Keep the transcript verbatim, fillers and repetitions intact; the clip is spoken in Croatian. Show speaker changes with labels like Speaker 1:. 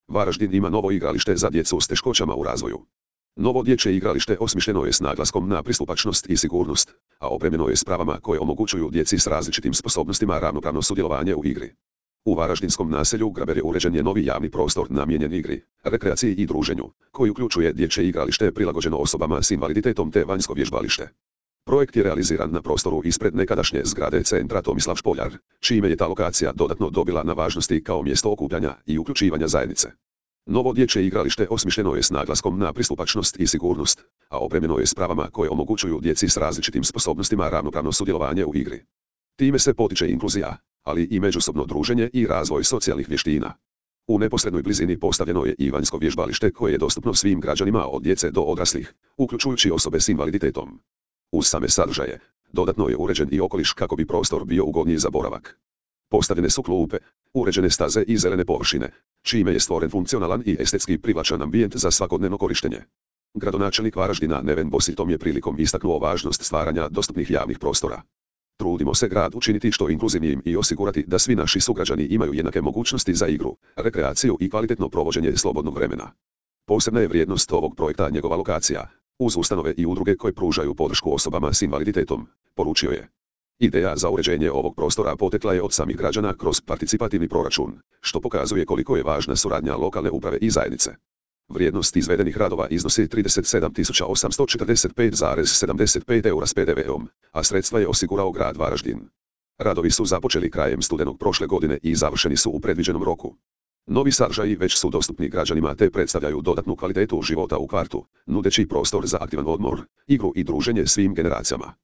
Speaker 1: Varaždin ima novo igralište za djecu s teškoćama u razvoju. Novo dječje igralište osmišljeno je s naglaskom na pristupačnost i sigurnost, a opremljeno je s pravama koje omogućuju djeci s različitim sposobnostima ravnopravno sudjelovanje u igri. U varaždinskom naselju Graber uređen je novi javni prostor namijenjen igri, rekreaciji i druženju, koji uključuje dječje igralište prilagođeno osobama s invaliditetom te vanjsko vježbalište. Projekt je realiziran na prostoru ispred nekadašnje zgrade centra Tomislav Špoljar, čime je ta lokacija dodatno dobila na važnosti kao mjesto okupljanja i uključivanja zajednice. Novo dječje igralište osmišljeno je s naglaskom na pristupačnost i sigurnost, a opremljeno je s pravama koje omogućuju djeci s različitim sposobnostima ravnopravno sudjelovanje u igri. Time se potiče inkluzija, ali i međusobno druženje i razvoj socijalnih vještina. U neposrednoj blizini postavljeno je i vanjsko vježbalište koje je dostupno svim građanima od djece do odraslih, uključujući osobe s invaliditetom. Uz same sadržaje, dodatno je uređen i okoliš kako bi prostor bio ugodniji za boravak. Postavljene su klupe, uređene staze i zelene površine, čime je stvoren funkcionalan i estetski privlačan ambijent za svakodnevno korištenje. Gradonačelnik Varaždina Neven Bosić tom je prilikom istaknuo važnost stvaranja dostupnih javnih prostora. Trudimo se grad učiniti što inkluzivnijim i osigurati da svi naši sugrađani imaju jednake mogućnosti za igru, rekreaciju i kvalitetno provođenje slobodnog vremena. Posebna je vrijednost ovog projekta njegova lokacija, uz ustanove i udruge koje pružaju podršku osobama s invaliditetom, poručio je. Ideja za uređenje ovog prostora potekla je od samih građana kroz participativni proračun, što pokazuje koliko je važna suradnja lokalne uprave i zajednice. Vrijednost izvedenih radova iznosi trideset sedam tisuća osamsto četrdeset pet zarez sedamdeset pet eura s P D V-om, a sredstva je osigurao grad Varaždin. Radovi su započeli krajem studenog prošle godine i završeni su u predviđenom roku. Novi sadržaji već su dostupni građanima te predstavljaju dodatnu kvalitetu života u kvartu, nudeći prostor za aktivan odmor, igru i druženje svim generacijama.